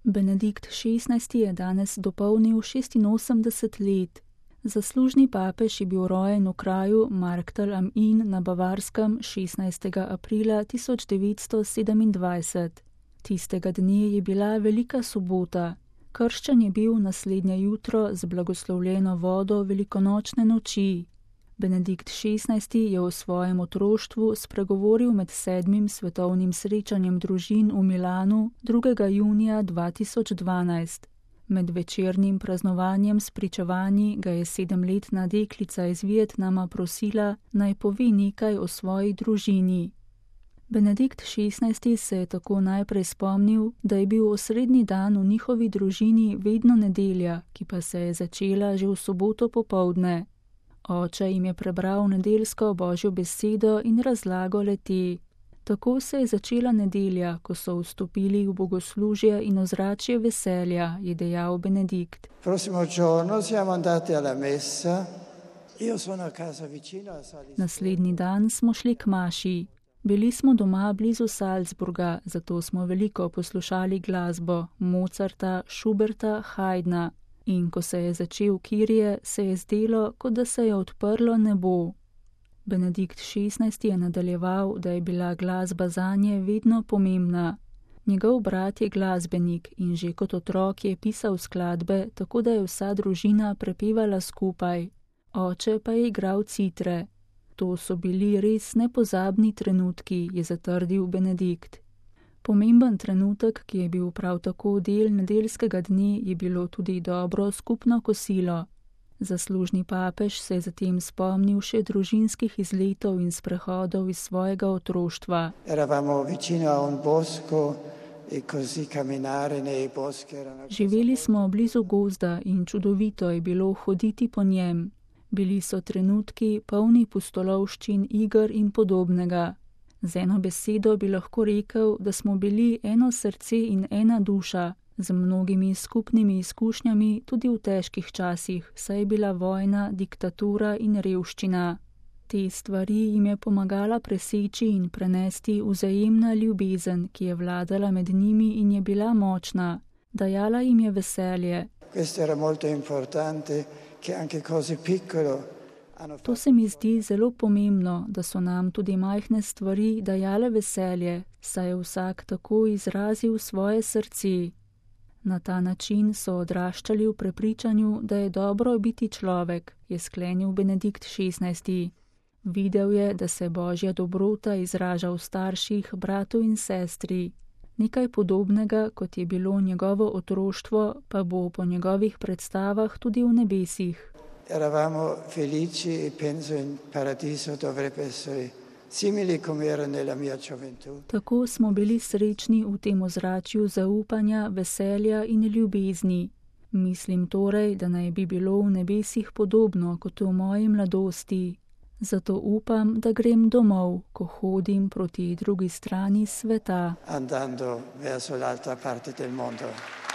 Benedikt XVI. Je danes dopolnil 86 let. Zaslužni papež je bil rojen v kraju Marktal am Inn na Bavarskem 16. aprila 1927. Tistega dne je bila velika sobota. Krščen je bil naslednje jutro z blagoslovljeno vodo velikonočne noči. Benedikt XVI. Je v svojem otroštvu spregovoril med 7. svetovnim srečanjem družin v Milanu 2. junija 2012. Med večernim praznovanjem s pričevanji ga je 7-letna deklica iz Vietnama prosila, naj pove nekaj o svoji družini. Benedikt XVI. Se je tako najprej spomnil, da je bil osrednji dan v njihovi družini vedno nedelja, ki pa se je začela že v soboto popoldne. Oče jim je prebral nedeljsko Božjo besedo in razlago le-te. Tako se je začela nedelja, ko so vstopili v bogoslužje in ozračje veselja, je dejal Benedikt. Naslednji dan smo šli k maši. Bili smo doma blizu Salzburga, zato smo veliko poslušali glasbo Mozarta, Schuberta, Haydna. In ko se je začel Kyrie, se je zdelo, kot da se je odprlo nebo. Benedikt XVI. Je nadaljeval, da je bila glasba zanje vedno pomembna. Njegov brat je glasbenik in že kot otrok je pisal skladbe, tako da je vsa družina prepevala skupaj. Oče pa je igral citre. To so bili res nepozabni trenutki, je zatrdil Benedikt. Pomemben trenutek, ki je bil prav tako del nedeljskega dne, je bilo tudi dobro skupno kosilo. Zaslužni papež se je zatem spomnil še družinskih izletov in sprehodov iz svojega otroštva. Živeli smo blizu gozda in čudovito je bilo hoditi po njem. Bili so trenutki polni pustolovščin, iger in podobnega. Z eno besedo bi lahko rekel, da smo bili eno srce in ena duša, z mnogimi skupnimi izkušnjami tudi v težkih časih, saj je bila vojna, diktatura in revščina. Te stvari jim je pomagala preseči in prenesti vzajemna ljubezen, ki je vladala med njimi in je bila močna. Dajala jim je veselje. To se mi zdi zelo pomembno, da so nam tudi majhne stvari dajale veselje, saj je vsak tako izrazil svoje srce. Na ta način so odraščali v prepričanju, da je dobro biti človek, je sklenil Benedikt XVI. Videl je, da se Božja dobrota izraža v starših, bratu in sestri. Nekaj podobnega, kot je bilo njegovo otroštvo, pa bo po njegovih predstavah tudi v nebesih. Eravamo felici e penso in paradiso dovrebbe essere simili come era nella mia gioventù. Tako smo bili srečni v tem ozračju zaupanja, veselja in ljubezni. Mislim torej, da naj bi bilo v nebesih podobno kot v moji mladosti. Zato upam, da grem domov, ko hodim proti drugi strani sveta. Andando verso l'altra parte del mondo.